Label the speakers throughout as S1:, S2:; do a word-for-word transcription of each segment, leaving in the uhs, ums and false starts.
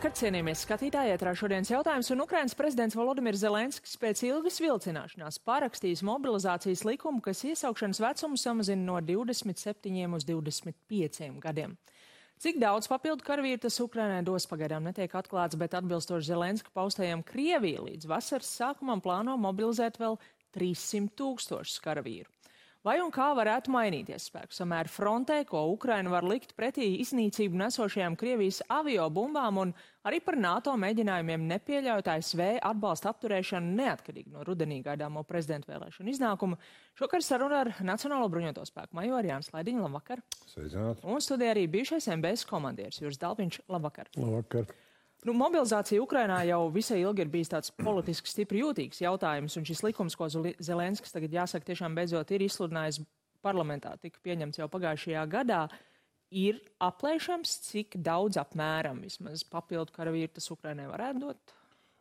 S1: Labvakar, cienījamies skatītāji, ētrā šodienas jautājums, un Ukrainas prezidents Volodimirs Zelenskis pēc ilgas vilcināšanās pārakstījis mobilizācijas likumu, kas iesaukšanas vecumu samazina no divdesmit septiņiem uz divdesmit pieciem gadiem. Cik daudz papildu karavīru tas Ukrainai dos, pagaidām netiek atklāts, bet atbilstoši Zelenska paustajam, Krievija līdz vasaras sākumam plāno mobilizēt vēl trīssimt tūkstošus karavīru. Vai un kā varētu mainīties spēku samēri frontē, ko Ukraina var likt pretī iznīcību nesošajām Krievijas aviobumbām, un arī par NATO mēģinājumiem nepieļaut A S V atbalsta apturēšanu neatkarīgi no rudenī gaidāmo prezidentu vēlēšanu iznākumu? Šokar saruna ar Nacionālo bruņoto spēku majoru Jānis Laidiņu. Labvakar!
S2: Sveicināti!
S1: Un studijā arī bijušais M B S komandieris Juris Dalpiņš. Labvakar!
S2: Labvakar!
S1: Nu, mobilizācija Ukrainā jau visai ilgi ir bijis tāds politiski stipri jūtīgs jautājums, un šis likums, ko Zelenskis tagad jāsaka tiešām beidzot ir izsludinājis parlamentā, tika pieņemts jau pagājušajā gadā, ir aplēšams, cik daudz apmēram vismaz papildu karavīru tas Ukrainai varētu dot?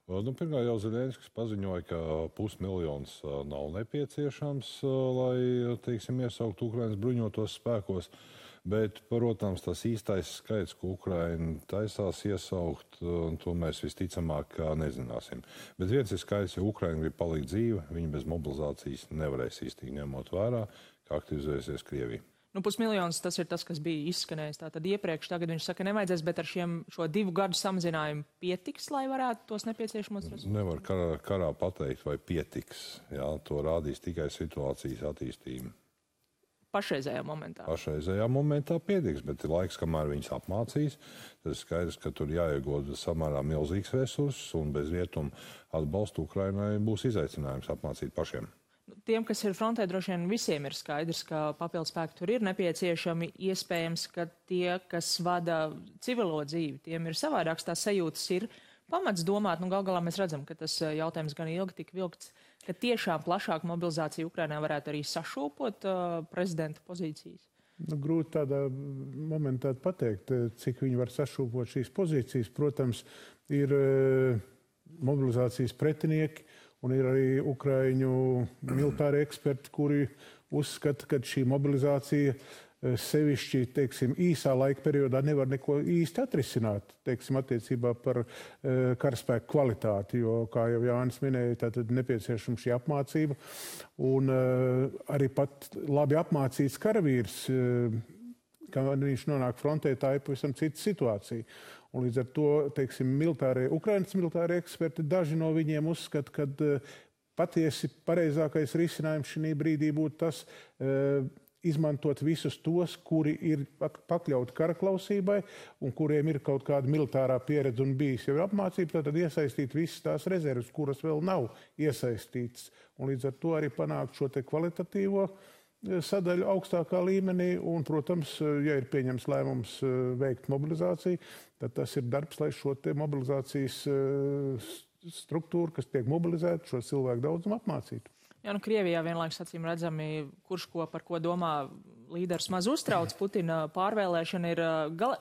S2: Nu, pirmā jau Zelenskis paziņoja, ka pusmiljons nav nepieciešams, lai, teiksim, iesaukt Ukrainas bruņotos spēkos. Bet, protams, tas īstais skaits, ko Ukraina taisās iesaukt, to mēs visticamāk nezināsim. Bet viens ir skaidrs, ja Ukraina grib palikt dzīve, viņi bez mobilizācijas nevarēs īstīgi ņemot vērā, kā aktivizēsies Krievija.
S1: Nu, pusmiljons tas ir tas, kas bija izskanējis tātad iepriekš. Tagad viņš saka, nevajadzēs, bet ar šiem, šo divu gadu samazinājumu pietiks, lai varētu tos nepieciešamos rezultātus?
S2: Nevar karā, karā pateikt, vai pietiks. Jā, to rādīs tikai situācijas attīstība.
S1: Pašreizējā momentā?
S2: Pašreizējā momentā pietiks, bet ir laiks, kamēr viņas apmācīs. Tas ir skaidrs, ka tur jāiegūda samērā milzīgs resurss, un bez rietumu atbalstu Ukrainai būs izaicinājums apmācīt pašiem.
S1: Tiem, kas ir frontē, droši vien visiem ir skaidrs, ka papildu spēki tur ir nepieciešami. Iespējams, ka tie, kas vada civilo dzīvi, tiem ir savādāks, tās sajūtas ir pamats domāt. Nu, gal galā mēs redzam, ka tas jautājums gan ilgi tik vilkts, ka tiešām plašāka mobilizācija Ukrainā varētu arī sašūpot uh, prezidenta pozīcijas.
S3: Nu, grūti tādā momentā pateikt, cik viņi var sašūpot šīs pozīcijas. Protams, ir uh, mobilizācijas pretinieki, un ir arī ukraiņu militāri eksperti, kuri uzskata, ka šī mobilizācija sevišķi, teiksim, īsā laika periodā nevar neko īsti atrisināt, teiksim, attiecībā par uh, karaspēku kvalitāti, jo, kā jau Jānis minēja, tātad nepieciešama šī apmācība, un uh, arī pat labi apmācīts karavīrs, uh, kad viņš nonāk frontē, tā ir pavisam cita situācija. Un līdz ar to, teiksim, militārie, Ukrainas militārie eksperti, daži no viņiem uzskata, ka uh, patiesi pareizākais risinājums šī brīdī būtu tas, uh, izmantot visus tos, kuri ir pakļauti karaklausībai un kuriem ir kaut kāda militārā pieredze un bijis jau apmācība, tad iesaistīt visas tās rezerves, kuras vēl nav iesaistītas. Un līdz ar to arī panākt šo te kvalitatīvo sadaļu augstākā līmenī. Un, protams, ja ir pieņems lēmums veikt mobilizāciju, tad tas ir darbs, lai šo te mobilizācijas struktūru, kas tiek mobilizēta, šo cilvēku daudzumu apmācītu.
S1: Jā, nu, Krievijā vienlaikus acīm redzami, kurš ko par ko domā, līderis maz uztrauc. Putina pārvēlēšana ir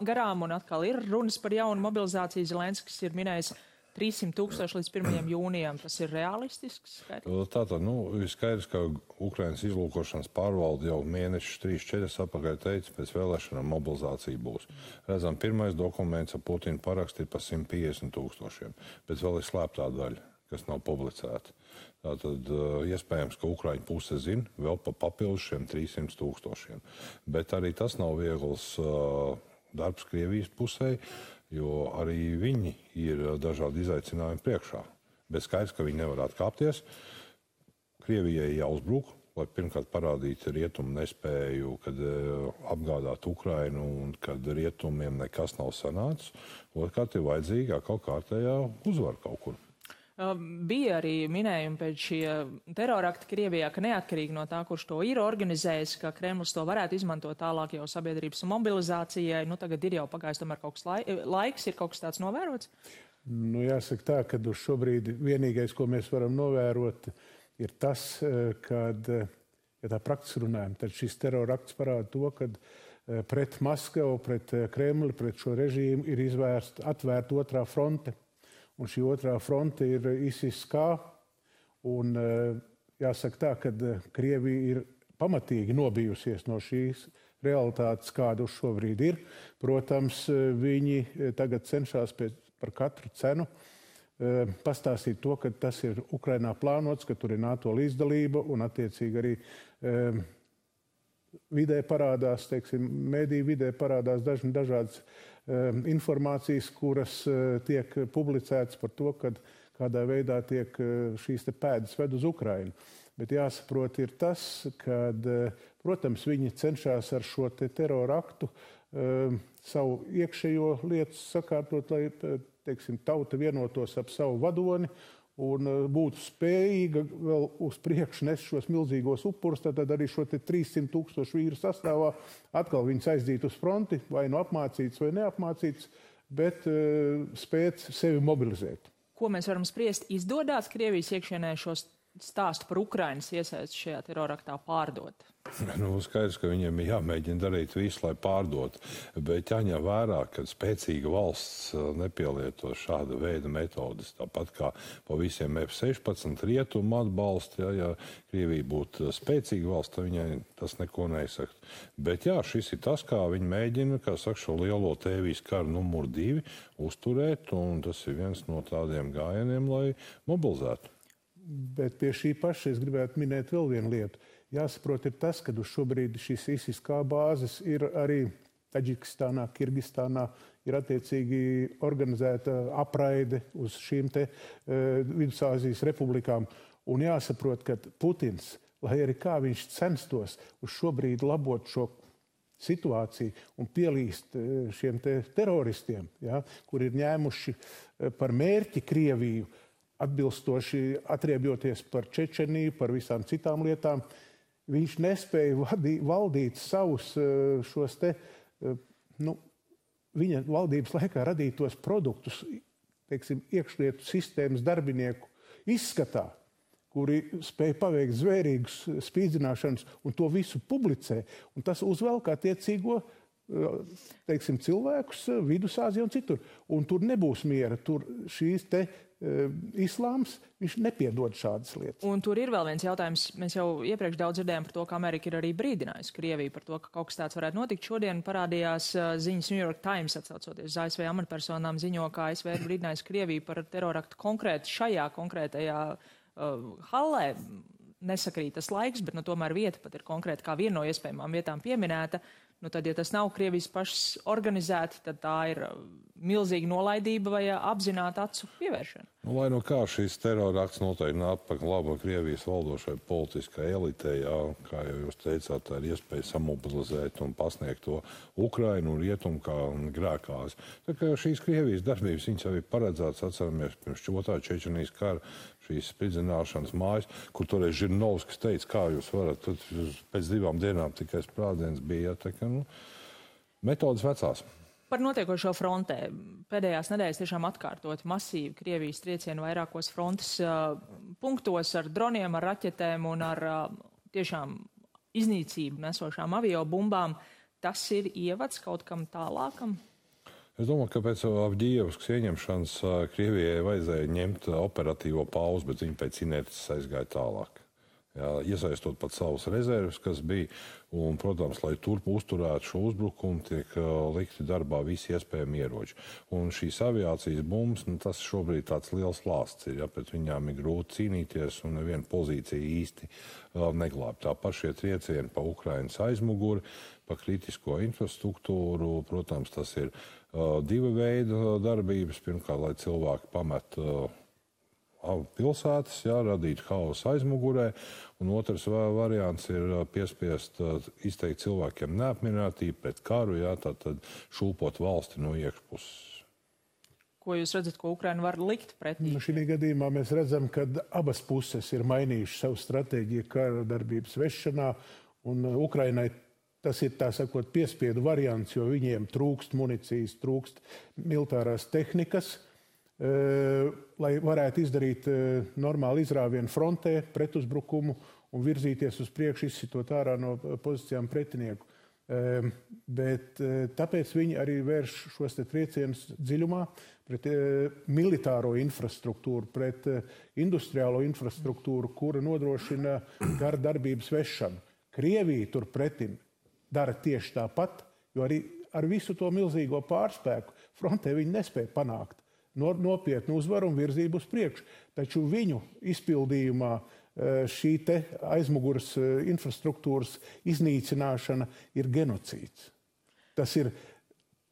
S1: garām, un atkal ir runas par jaunu mobilizāciju. Zelenskis ir minējis trīssimt tūkstoši līdz pirmajam jūnijam. Tas ir realistisks skaitlis?
S2: Tātad, nu, ir skaidrs, ka Ukrainas izlūkošanas pārvalde jau mēnešus trīs, četras apakaļ teica, pēc vēlēšanām mobilizācija būs. Redzam, pirmais dokuments ar Putinu parakstu ir par simt piecdesmit tūkstošiem, bet vēl ir slēptā daļa, kas nav publicēta. Tātad iespējams, ka Ukraiņu puse zina vēl pa papildus šiem trīssimt tūkstošiem. Bet arī tas nav viegls uh, darbs Krievijas pusē, jo arī viņi ir dažādi izaicinājumi priekšā. Bet skaidrs, ka viņi nevar atkāpties. Krievijai jāuzbruk, lai pirmkārt parādītu rietumu nespēju, kad uh, apgādāt Ukrainu un kad rietumiem nekas nav sanācis. Otrkārt ir vajadzīga kaut kārtējā uzvara kaut kur.
S1: Bija arī minējumi pēc šie terorakti Krievijā, ka neatkarīgi no tā, kurš to ir organizējis, ka Kremlis to varētu izmantot tālāk jau sabiedrības mobilizācijai. Nu, tagad ir jau pagājis tomēr kaut kas lai, laiks, ir kaut kas tāds novērots?
S3: Nu, jāsaka tā, ka uz šobrīd vienīgais, ko mēs varam novērot, ir tas, kad, ja tā praktiski runājam, tad šis terorakts parāda to, kad pret Maskavu, pret Kremli, pret šo režīmu ir izvērsta atvērta otrā fronte. Un šī otrā fronte ir ISIS-K, un jāsaka tā, ka Krievija ir pamatīgi nobijusies no šīs realitātes, kāda uz šobrīd ir. Protams, viņi tagad cenšas pēc par katru cenu pastāstīt to, ka tas ir Ukrainā plānots, ka tur ir NATO līdzdalība un attiecīgi arī um, vidē parādās, teiksim, mediju vidē parādās dažni dažādas um, informācijas, kuras uh, tiek publicētas par to, kad kādā veidā tiek uh, šīs te pēdas ved uz Ukrainu. Bet jāsaprot ir tas, ka, uh, protams, viņi cenšas ar šo te terora aktu uh, savu iekšējo lietu sakārtot, lai teiksim, tauta vienotos ap savu vadoni un būtu spējīga vēl uz priekšu nes šos milzīgos upurus, tad arī šo te trīssimt tūkstošu vīru sastāvā atkal viņus aizdīt uz fronti, vai nu apmācīts vai neapmācīts, bet uh, spēt sevi mobilizēt.
S1: Ko mēs varam spriest? Izdodās Krievijas iekšienē šos stāstu par Ukrainas iesaisti šajā teroraktā pārdot?
S2: Nu, skaidrs, ka viņiem ir jāmēģina darīt visu, lai pārdotu, bet jāņem vērā, ka spēcīga valsts nepielieto šāda veida metodas. Tāpat kā pa visiem F sešpadsmit rietumu atbalstu, ja, ja Krievija būtu spēcīga valsts, tad viņai tas neko neizsaka. Bet jā, šis ir tas, kā viņi mēģina, kā saka, šo lielo tēvijas karu numuru divi uzturēt, un tas ir viens no tādiem gājieniem, lai mobilizētu.
S3: Bet pie šī paša es gribētu minēt vēl vienu lietu. Jāsaprot ir tas, ka uz šobrīd šīs I S I S K bāzes ir arī Taģikistānā, Kirgistānā, ir attiecīgi organizēta apraide uz šīm te uh, Vidusāzijas republikām. Un jāsaprot, ka Putins, lai arī kā viņš censtos uz šobrīd labot šo situāciju un pielīst uh, šiem te teroristiem, ja, kur ir ņēmuši uh, par mērķi Krieviju, atbilstoši atriebjoties par Čečeniju, par visām citām lietām, viņš nespēja vadī, valdīt savus šos te, nu, viņa valdības laikā radītos produktus, teiksim, iekšlietu sistēmas darbinieku izskatā, kuri spēja paveikt zvērīgus spīdzināšanas un to visu publicē. Un tas uzvelk attiecīgo, teiksim, cilvēkus Vidusāzijā un citur. Un tur nebūs miera, tur šīs te uh, islāms, viņš nepiedod šādas lietas.
S1: Un tur ir vēl viens jautājums. Mēs jau iepriekš daudz dzirdējām par to, ka Amerika ir arī brīdinājusi Krieviju par to, ka kaut kas tāds varētu notikt. Šodien parādījās uh, ziņas New York Times, atsaucoties uz A S V amatpersonām, ziņo, ka A S V ir brīdinājusi Krieviju par teroraktu konkrēti šajā konkrētajā uh, hallē. Nesakrīt tas laiks, bet nu, tomēr vieta pat ir konkrēti kā viena no iespējamām vietām pieminēta. Nu, tad, ja tas nav Krievijas pašas organizēti, tad tā ir milzīga nolaidība vai apzināta acu pievēršana.
S2: Nu, lai no kā šīs terorakts noteikti nāk par labu Krievijas valdošai politiskai elitei, jā, kā jau jūs teicāt, tā ir iespēja samobilizēt un pasniegt to Ukrainu un Rietumu kā grēkāzi. Tā kā šīs Krievijas darbības, viņas jau ir paredzētas, atceramies, pirms otrā Čečenijas kara, šīs spridzināšanas mājas, kur toreiz Žirinovskis teica, kā jūs varat, tad pēc divām dienām tikai sprādziens bija, tā kā, nu, metodas vecās.
S1: Par notiekošo frontē. Pēdējās nedēļas tiešām atkārtot masīvi Krievijas triecienu vairākos frontes uh, punktos ar droniem, ar raķetēm un ar uh, tiešām iznīcību nesošām aviobumbām. Tas ir ievads kaut kam tālākam?
S2: Es domāju, ka pēc Avdijevskas ieņemšanas Krievijai vajadzēja ņemt operatīvo pauzi, bet viņi pēc inerces aizgāja tālāk. Jā, iesaistot pat savus rezerves, kas bija, un, protams, lai turp uzturētu šo uzbrukumu, tiek uh, likti darbā visi iespējami ieroči. Un šīs aviācijas bumbas, nu, tas šobrīd tāds liels lāsts ir, ja pret viņām ir grūti cīnīties, un neviena pozīcija īsti uh, neglāb. Tāpat šie triecieni pa Ukrainas aizmuguri, pa kritisko infrastruktūru, protams, tas ir uh, diva veida darbības. Pirmkārt, lai cilvēki pamet uh, pilsētas, jā, radīt haosu aizmugurē, un otrs variants ir piespiest izteikt cilvēkiem neapmierinātību pret karu, jā, tātad šūpot valsti no iekšpuses.
S1: Ko jūs redzat, ko Ukraina var likt pretī?
S3: Nu, šī gadījumā mēs redzam, ka abas puses ir mainījušas savu stratēģiju kara darbības vešanā, un Ukrainai tas ir, tā sakot, piespiedu variants, jo viņiem trūkst municijas, trūkst militārās tehnikas, lai varētu izdarīt normālu izrāvienu frontē, pretuzbrukumu un virzīties uz priekšu, izsitot ārā no pozīcijām pretinieku. Bet tāpēc viņi arī vērš šos te triecienus dziļumā pret militāro infrastruktūru, pret industriālo infrastruktūru, kura nodrošina kara darbības vešanu. Krievija turpretim dara tieši tāpat, jo arī ar visu to milzīgo pārspēku frontē viņi nespēja panākt nopietnu uzvaru un virzību uz priekšu. Taču viņu izpildījumā šī te aizmugures infrastruktūras iznīcināšana ir genocīds. Tas ir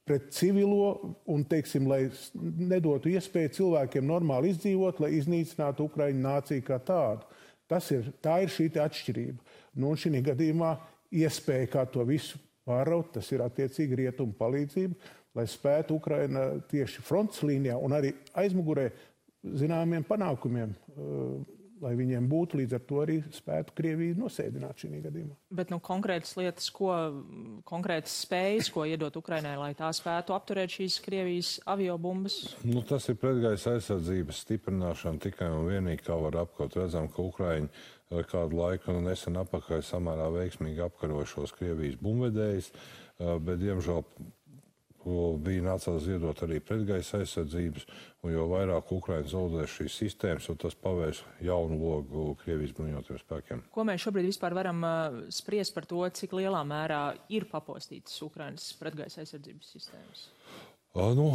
S3: pret civilo un, teiksim, lai nedotu iespēju cilvēkiem normāli izdzīvot, lai iznīcinātu Ukraiņu nāciju kā tādu. Tas ir, tā ir šī te atšķirība. Nu, un šī gadījumā iespēja, kā to visu pāraut, tas ir attiecīgi rietumu palīdzība, lai spētu Ukraina tieši frontes līnijā un arī aizmugurē zināmiem panākumiem, lai viņiem būtu, līdz ar to arī spētu Krieviju nosēdināt šī gadījumā.
S1: Bet nu, konkrētas lietas, ko, konkrētas spējas, ko iedot Ukrainai, lai tā spētu apturēt šīs Krievijas aviobumbas?
S2: Nu, tas ir pretgaisa aizsardzības stiprināšana tikai un vienīgi, kā var apkaut. Redzam, ka Ukraiņi kādu laiku nesen apakaļ samērā veiksmīgi apkaroja šos Krievijas bumbvedējus, bet, diemžēl, bija nācās ziedot arī pretgaisa aizsardzības, un jo vairāk Ukraina zaudēs šīs sistēmas, jo tas pavērs jaunu logu Krievijas bruņotajiem spēkiem.
S1: Ko mēs šobrīd vispār varam uh, spriest par to, cik lielā mērā ir papostītas Ukrainas pretgaisa aizsardzības sistēmas?
S2: Nu,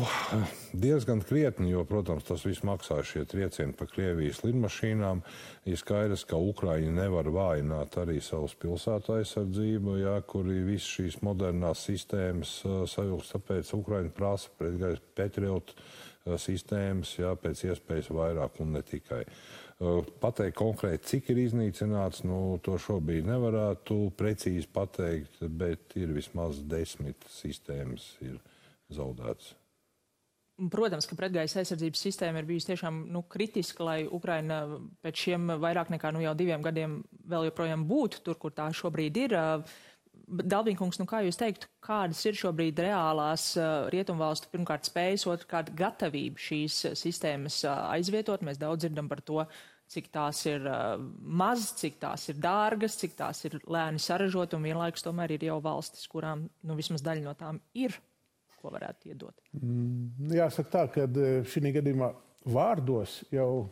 S2: diezgan krietni, jo, protams, tas viss maksā šie triecieni pa Krievijas lidmašīnām. Ir skaidrs, ka Ukraiņi nevar vājināt arī savus pilsētu aizsardzību, jā, kuri visas šīs modernās sistēmas savilks, tāpēc Ukraiņi prasa pretgaisa Patriot sistēmas, jā, pēc iespējas vairāk un ne tikai. Pateikt konkrēti, cik ir iznīcināts, nu, to šobrīd nevarētu precīzi pateikt, bet ir vismaz desmit sistēmas ir zaudēts.
S1: Protams, ka pretgaisa aizsardzības sistēma ir bijusi tiešām nu, kritiska, lai Ukraina pēc šiem vairāk nekā nu, jau diviem gadiem vēl joprojām būtu tur, kur tā šobrīd ir. Dalbīnkungs, nu kā jūs teiktu, kādas ir šobrīd reālās rietumvalstu pirmkārt spējas, otrkārt gatavība šīs sistēmas aizvietot? Mēs daudz dzirdam par to, cik tās ir maz, cik tās ir dārgas, cik tās ir lēni saražot, un vienlaikus tomēr ir jau valstis, kurām nu, vismaz daļa no tām ir, ko varētu iedot.
S3: Mm, jāsaka tā, ka šī gadījumā vārdos jau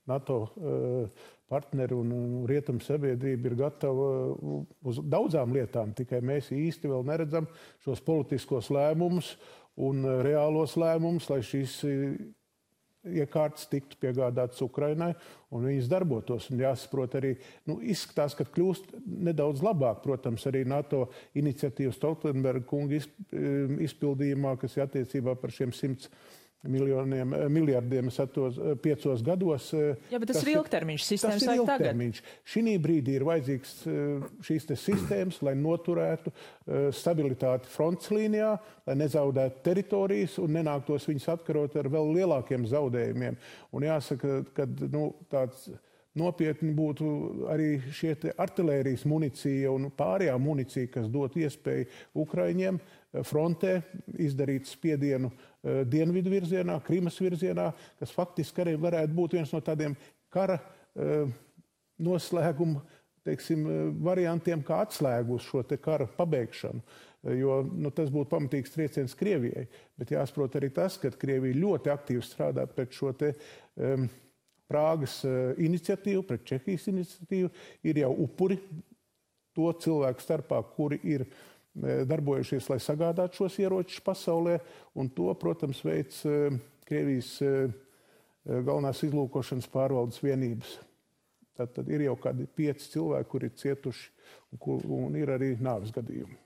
S3: NATO partneri un rietumu sabiedrība ir gatava uz daudzām lietām, tikai mēs īsti vēl neredzam šos politiskos lēmumus un reālos lēmumus, lai šīs iekārtas tiktu piegādātas Ukrainai un viņas darbotos. Un jāsaprot arī, nu, izskatās, ka kļūst nedaudz labāk, protams, arī NATO iniciatīvas Stoltenberga kunga izpildījumā, kas ir attiecībā par šiem simts miljoniem, miljardiem satos, piecos gados.
S1: Jā, bet tas, tas ir ilgtermiņš, sistēmas vajag tagad. Tas ir ilgtermiņš. Šī brīdī ir vajadzīgs šīs te sistēmas, lai noturētu stabilitāti frontes līnijā, lai nezaudētu teritorijas un nenāktos viņus atkarot ar vēl lielākiem zaudējumiem. Un jāsaka, ka nu, tāds nopietni būtu arī šie artilērijas municija un pārējā municija, kas dot iespēju Ukraiņiem frontē izdarīt spiedienu dienvidu virzienā, Krimas virzienā, kas faktiski arī varētu būt viens no tādiem kara noslēguma, teiksim, variantiem, kā atslēgu uz šo te kara pabeigšanu. Jo nu, tas būtu pamatīgs trieciens Krievijai. Bet jāsaprot arī tas, ka Krievija ļoti aktīvi strādā pret šo te um, Prāgas iniciatīvu, pret Čehijas iniciatīvu. Ir jau upuri to cilvēku starpā, kuri ir darbojušies, lai sagādātu šos ieročus pasaulē, un to, protams, veids Krievijas galvenās izlūkošanas pārvaldes vienības. Tad, tad ir jau kādi pieci cilvēki, kuri ir cietuši, un, un ir arī nāves gadījumi.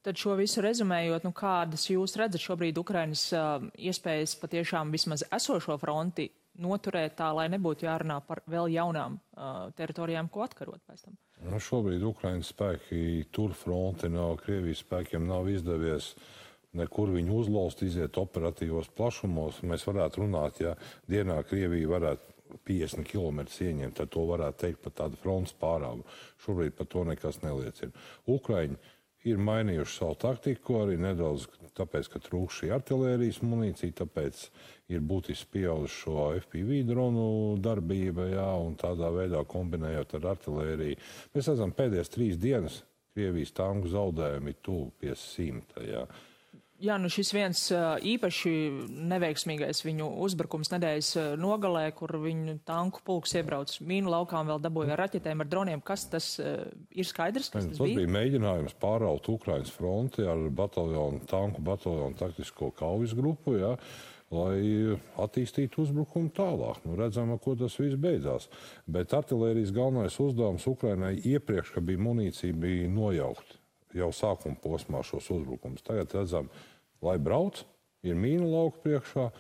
S1: Tad šo visu rezumējot, nu kādas jūs redzat šobrīd Ukrainas uh, iespējas patiešām vismaz esošo fronti noturēt tā, lai nebūtu jārunā par vēl jaunām uh, teritorijām, ko atkarot pēc tam?
S2: Nu, šobrīd Ukrainas spēki tur fronti nav, Krievijas spēkiem nav izdevies nekur viņu uzlauzt, iziet operatīvos plašumos. Mēs varētu runāt, ja dienā Krievija varētu piecdesmit kilometrus ieņemt, tad to varētu teikt par tādu frontes pārāvu. Šobrīd par to nekas neliecina. Ukraiņi ir mainījuši savu taktiku, arī nedaudz tāpēc, ka trūkst šī artilērijas munīcija, tāpēc ir būtiski pieauguši šo F P V dronu darbība, jā, un tādā veidā kombinējot ar artilēriju. Mēs redzam, pēdējās trīs dienas Krievijas tanku zaudējumi ir tuvu pie simta, jā.
S1: Jā, nu šis viens īpaši neveiksmīgais viņu uzbrukums nedēļas nogalē, kur viņu tanku pulks iebrauc mīnu laukā un vēl dabūja ar raķetēm, ar droniem. Kas tas ir skaidrs? Kas tas,
S2: tas bija? bija mēģinājums pāraut Ukrainas fronti ar bataljonu, tanku bataljonu taktisko kaujas grupu, jā. lai attīstītu uzbrukumu tālāk. Nu, redzam, ar ko tas viss beidzās. Bet artilērijas galvenais uzdevums Ukrainai iepriekš, ka bija munīcija, bija nojaukt jau sākuma posmā šos uzbrukumus. Tagad redzam, lai brauc, ir mīna lauka priekšā,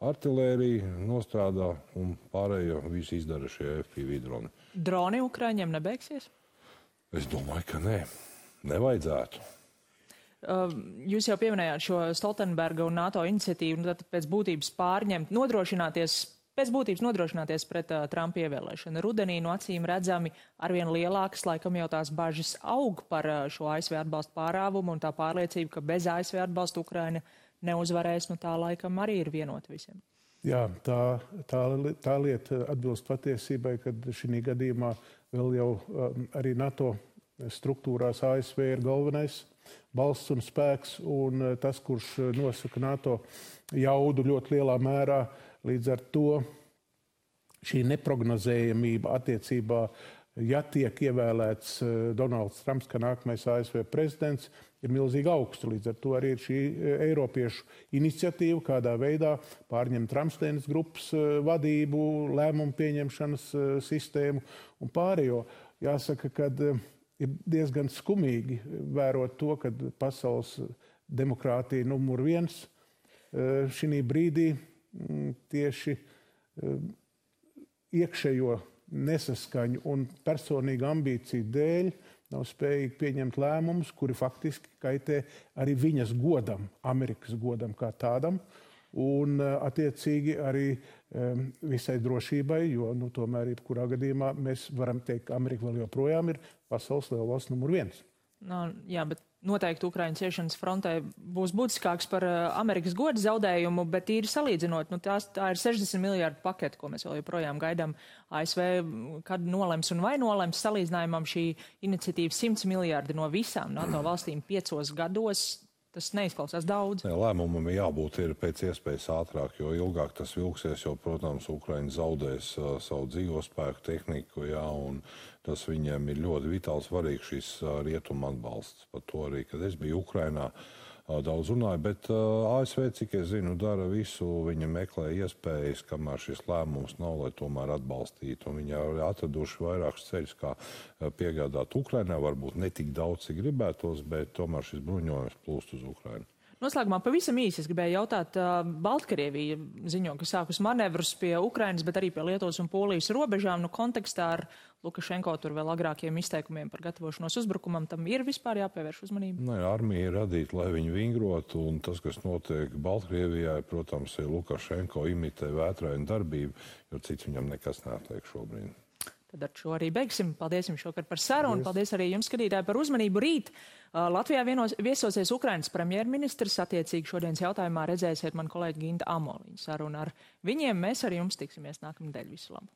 S2: artilērija nostrādā un pārējo visu izdara šie F P V droni.
S1: Droni Ukraiņiem nebeigsies?
S2: Es domāju, ka nē. Nevajadzētu.
S1: Uh, jūs jau pieminējāt šo Stoltenberga un NATO iniciatīvu, un tad pēc būtības pārņemt, nodrošināties, pēc būtības nodrošināties pret uh, Trumpa ievēlēšanu. Rudenī no acīm redzami arvien lielākas, laikam jau tās bažas aug par uh, šo A S V atbalstu pārāvumu, un tā pārliecība, ka bez A S V atbalsta Ukraina neuzvarēs, nu tā laikam arī ir vienota visiem.
S3: Jā, tā, tā, tā lieta atbilst patiesībai, kad šī gadījumā vēl jau um, arī NATO struktūrās A S V ir galvenais balsts un spēks, un tas, kurš nosaka NATO jaudu ļoti lielā mērā, līdz ar to šī neprognozējamība attiecībā, ja tiek ievēlēts Donalds Trumps, kā nākamais A S V prezidents, ir milzīgi augsta. Līdz ar to arī ir šī Eiropiešu iniciatīva, kādā veidā pārņemt Ramsteinas grupas vadību, lēmumu pieņemšanas sistēmu un pārējo. Jāsaka, kad ir diezgan skumīgi vērot to, ka pasaules demokrātija numur viens šī brīdī tieši iekšējo nesaskaņu un personīgu ambīciju dēļ nav spējīgi pieņemt lēmumus, kuri faktiski kaitē arī viņas godam, Amerikas godam kā tādam, un attiecīgi arī um, visai drošībai, jo nu, tomēr jebkurā gadījumā mēs varam teikt, ka Amerika vēl joprojām ir pasaules lielvalsts numur viens.
S1: No, jā, bet noteikti Ukraiņas ciešanas frontē būs būtiskāks par uh, Amerikas goda zaudējumu, bet ir salīdzinot, nu, tās, tā ir sešdesmit miljārdu paketi, ko mēs vēl joprojām gaidām. A S V, kad nolems un vai nolems, salīdzinājumam šī iniciatīva simts miljārdi no visām NATO valstīm piecos gados. Tas neizklausās daudz.
S2: Jā, lēmumam jābūt ir pēc iespējas ātrāk, jo ilgāk tas vilksies, jo, protams, Ukraina zaudēs uh, savu dzīvospēku, tehniku, jā, un tas viņiem ir ļoti vitāli svarīgs šis uh, rietuma atbalsts. Par to arī, kad es biju Ukrainā, uh, daudz runāju, bet uh, A S V, cik es zinu, dara visu, viņa meklē iespējas, kamēr šis lēmums nav, lai tomēr atbalstītu, un viņi ir atraduši vairākus ceļus, kā uh, piegādāt Ukrainā, varbūt ne tik daudz, cik gribētos, bet tomēr šis bruņojums plūst uz Ukrainu.
S1: Noslēgumā pavisam īsi es gribēju jautāt, uh, Baltkrievija ziņo, ka sākus manevrus pie Ukrainas, bet arī pie Lietuvas un Polijas robežām, nu kontekstā ar Lukašenko tur vēl agrākiem izteikumiem par gatavošanos uzbrukumam, tam ir vispār jāpievērš uzmanība? Nē,
S2: armija ir radīta, lai viņi vingrotu, un tas, kas notiek Baltkrievijā, protams, ir Lukašenko imitē vētrainu darbību, jo cits viņam nekas neatliek šobrīd.
S1: Tad ar šo arī beigsim. Paldies jums šokar par sarunu. Paldies arī jums, skatītāji, par uzmanību. Rīt uh, Latvijā vienos, viesosies Ukrainas premjerministrs. Attiecīgi šodienas jautājumā redzēsiet man kolēģi Ginta Amoliņa sarunu. Ar viņiem mēs ar jums tiksimies nākamnedēļ. Visu labu!